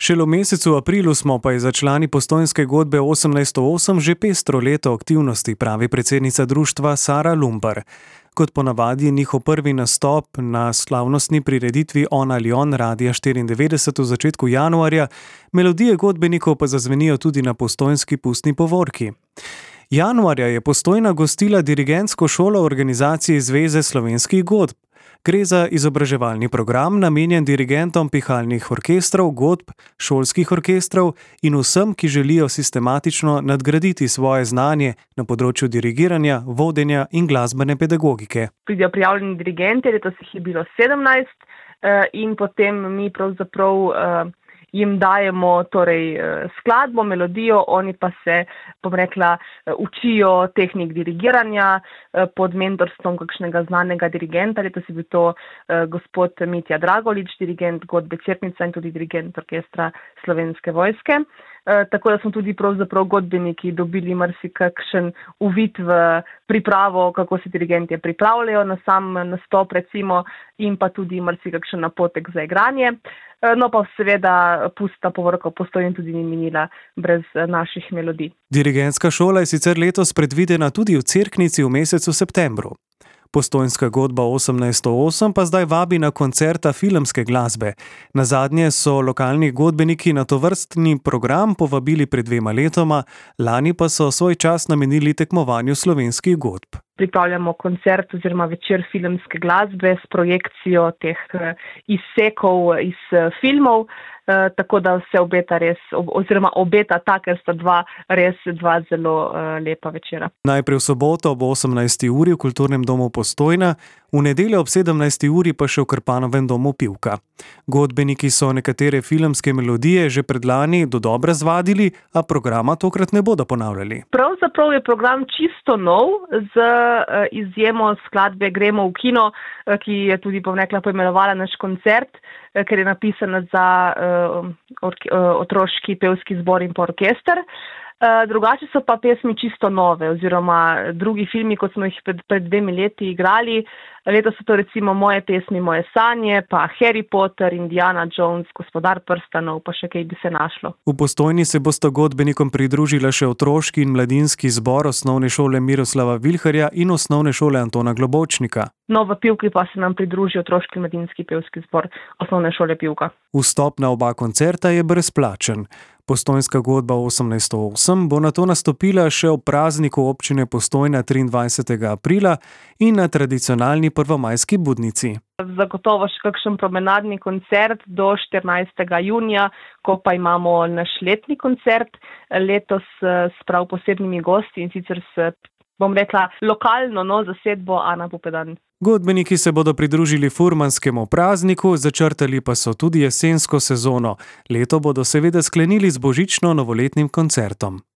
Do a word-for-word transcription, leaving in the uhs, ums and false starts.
Šele v mesecu aprilu smo pa za člani Postojnske godbe osemnajststo osem že pestro leto aktivnosti, pravi predsednica društva Sara Lumpar. Kot ponavadi je njihov prvi nastop na slavnostni prireditvi On ali On Radia štiriindevetdeset v začetku januarja, melodije godbenikov pa zazvenijo tudi na postojnski pustni povorki. Januarja je Postojna gostila dirigentsko šolo organizacije Zveze slovenskih godb. Gre za izobraževalni program, namenjen dirigentom pihalnih orkestrov, godb, šolskih orkestrov in vsem, ki želijo sistematično nadgraditi svoje znanje na področju dirigiranja, vodenja in glasbene pedagogike. Pridejo prijavljeni dirigenti, letos jih je bilo sedemnajst in potem mi pravzaprav jim dajemo torej skladbo, melodijo, oni pa se, bom rekla, učijo tehnik dirigiranja pod mentorstvom kakšnega znanega dirigenta. Letos je bil to gospod Mitja Dragolič, dirigent godbe Cerknica in tudi dirigent orkestra Slovenske vojske. Tako da smo tudi pravzaprav godbeniki dobili marsikakšen uvid v pripravo, kako se dirigenti pripravljajo na sam nastop recimo in pa tudi marsikakšen napotek za igranje. No pa seveda pustna povorka v Postojni tudi ni minila brez naših melodij. Dirigentska šola je sicer letos predvidena tudi v Cerknici v mesecu septembru. Postojnska godba osemnajststo osem pa zdaj vabi na koncerta filmske glasbe. Nazadnje so lokalni godbeniki na tovrstni program povabili pred dvema letoma, lani pa so svoj čas namenili tekmovanju slovenskih godb. Pripravljamo koncert oziroma večer filmske glasbe s projekcijo teh izsekov iz filmov, tako da se obeta res, oziroma obeta ta, ker sta dva res dva zelo lepa večera. Najprej v soboto ob osemnajsti uri v Kulturnem domu Postojna, v nedeljo ob sedemnajsti uri pa še v Krpanovem domu Pivka. Godbeniki so nekatere filmske melodije že predlani dodobra zvadili, a programa tokrat ne bodo ponavljali. Pravzaprav je program čisto nov, z izjemo skladbe Gremo v kino, ki je tudi, bom rekla, poimenovala naš koncert, ker je napisana za otroški pevski zbor in pa orkester. Drugače so pa pesmi čisto nove, oziroma drugi filmi, kot smo jih pred, pred dvemi leti igrali. Letos so to recimo Moje pesmi, moje sanje, pa Harry Potter, Indiana Jones, Gospodar prstanov, pa še kaj bi se našlo. V Postojni se bosta godbenikom pridružila še otroški in mladinski zbor osnovne šole Miroslava Vilharja in osnovne šole Antona Globočnika. No, v Pivki pa se nam pridruži otroški in mladinski pevski zbor osnovne šole Pivka. Vstop na oba koncerta je brezplačen. Postojnska godba osemnajststo osem bo nato nastopila še ob prazniku občine Postojna triindvajsetega aprila in na tradicionalni prvomajski budnici. Zagotovo še kakšen promenadni koncert do štirinajstega junija, ko pa imamo naš letni koncert, letos s prav posebnimi gosti in sicer s, bom rekla, lokalno no, zasedbo Ana Pupedan. Godbeniki se bodo pridružili furmanskemu prazniku, začrtali pa so tudi jesensko sezono. Leto bodo seveda sklenili z božično-novoletnim koncertom.